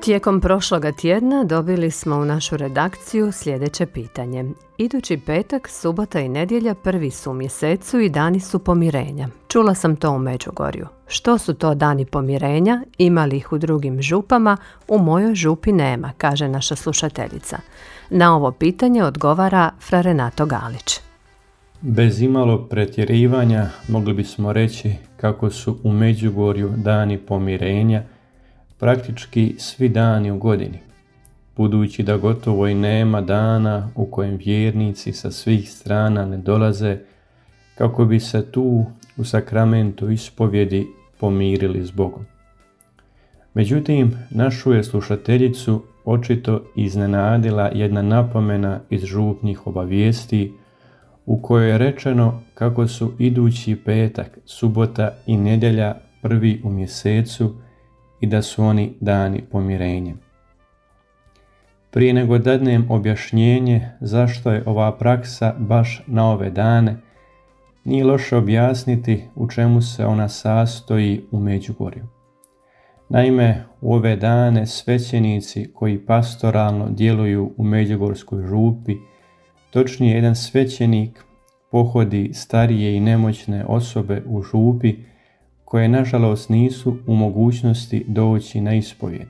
Tijekom prošloga tjedna dobili smo u našu redakciju sljedeće pitanje. Idući petak, subota i nedjelja prvi su u mjesecu i dani su pomirenja. Čula sam to u Međugorju. Što su to dani pomirenja? Ima li ih u drugim župama? U mojoj župi nema, kaže naša slušateljica. Na ovo pitanje odgovara fra Renato Galić. Bez imalo pretjerivanja mogli bismo reći kako su u Međugorju dani pomirenja praktički svi dani u godini, budući da gotovo i nema dana u kojem vjernici sa svih strana ne dolaze kako bi se tu u sakramentu ispovjedi pomirili s Bogom. Međutim, našu je slušateljicu očito iznenadila jedna napomena iz župnih obavijesti u kojoj je rečeno kako su idući petak, subota i nedjelja prvi u mjesecu i da su oni dani pomirenja. Prije nego dadnem objašnjenje zašto je ova praksa baš na ove dane, nije loše objasniti u čemu se ona sastoji u Međugorju. Naime, u ove dane svećenici koji pastoralno djeluju u Međugorskoj župi, točnije jedan svećenik pohodi starije i nemoćne osobe u župi koje nažalost nisu u mogućnosti doći na ispovjed,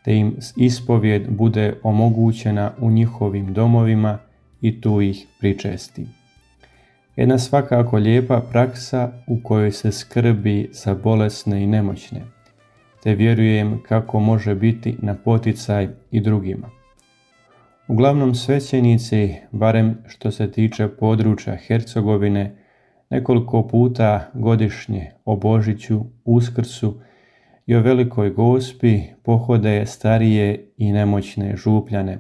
te im ispovjed bude omogućena u njihovim domovima i tu ih pričesti. Jedna svakako lijepa praksa u kojoj se skrbi za bolesne i nemoćne, te vjerujem kako može biti na poticaj i drugima. Uglavnom svećenici, barem što se tiče područja Hercegovine, nekoliko puta godišnje o Božiću, Uskrsu i o Velikoj Gospi pohode starije i nemoćne župljane,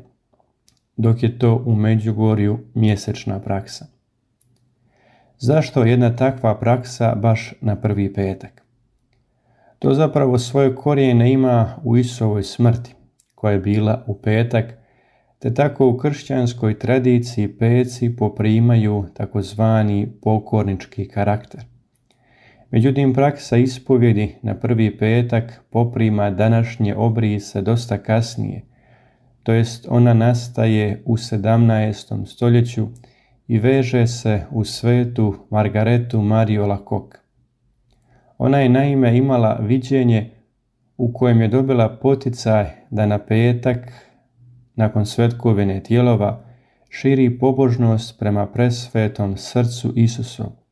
dok je to u Međugorju mjesečna praksa. Zašto jedna takva praksa baš na prvi petak? To zapravo svoje korijene ima u Isusovoj smrti, koja je bila u petak, te tako u kršćanskoj tradiciji peci poprimaju takozvani pokornički karakter. Međutim, praksa ispovjedi na prvi petak poprima današnje obrise dosta kasnije, to jest ona nastaje u 17. stoljeću i veže se u svetu Margaretu Mariju Alacoque. Ona je naime imala viđenje u kojem je dobila poticaj da na petak, nakon svetkovine tijelova, širi pobožnost prema presvetom srcu Isusovu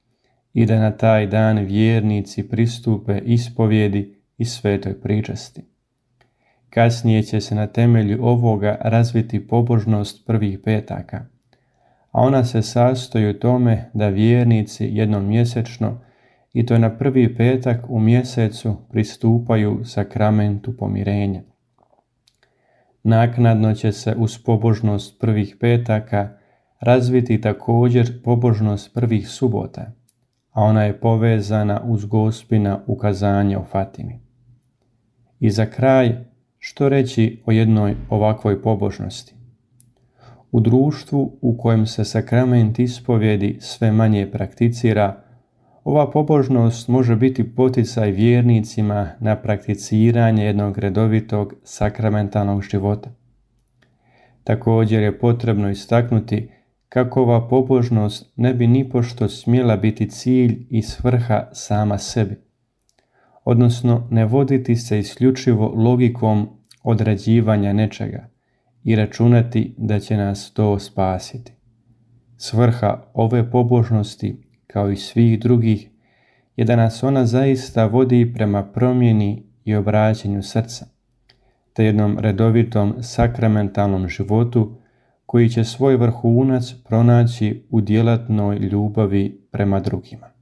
i da na taj dan vjernici pristupe ispovjedi i svetoj pričasti. Kasnije će se na temelju ovoga razviti pobožnost prvih petaka, a ona se sastoji u tome da vjernici jednom mjesečno, i to na prvi petak u mjesecu, pristupaju sakramentu pomirenja. Naknadno će se uz pobožnost prvih petaka razviti također pobožnost prvih subota, a ona je povezana uz Gospina ukazanje o Fatimi. I za kraj, što reći o jednoj ovakvoj pobožnosti? U društvu u kojem se sakrament ispovjedi sve manje prakticira, ova pobožnost može biti poticaj vjernicima na prakticiranje jednog redovitog sakramentalnog života. Također je potrebno istaknuti kako ova pobožnost ne bi nipošto smjela biti cilj i svrha sama sebi, odnosno ne voditi se isključivo logikom određivanja nečega i računati da će nas to spasiti. Svrha ove pobožnosti, kao i svih drugih, je da nas ona zaista vodi prema promjeni i obraćanju srca, te jednom redovitom sakramentalnom životu koji će svoj vrhunac pronaći u djelatnoj ljubavi prema drugima.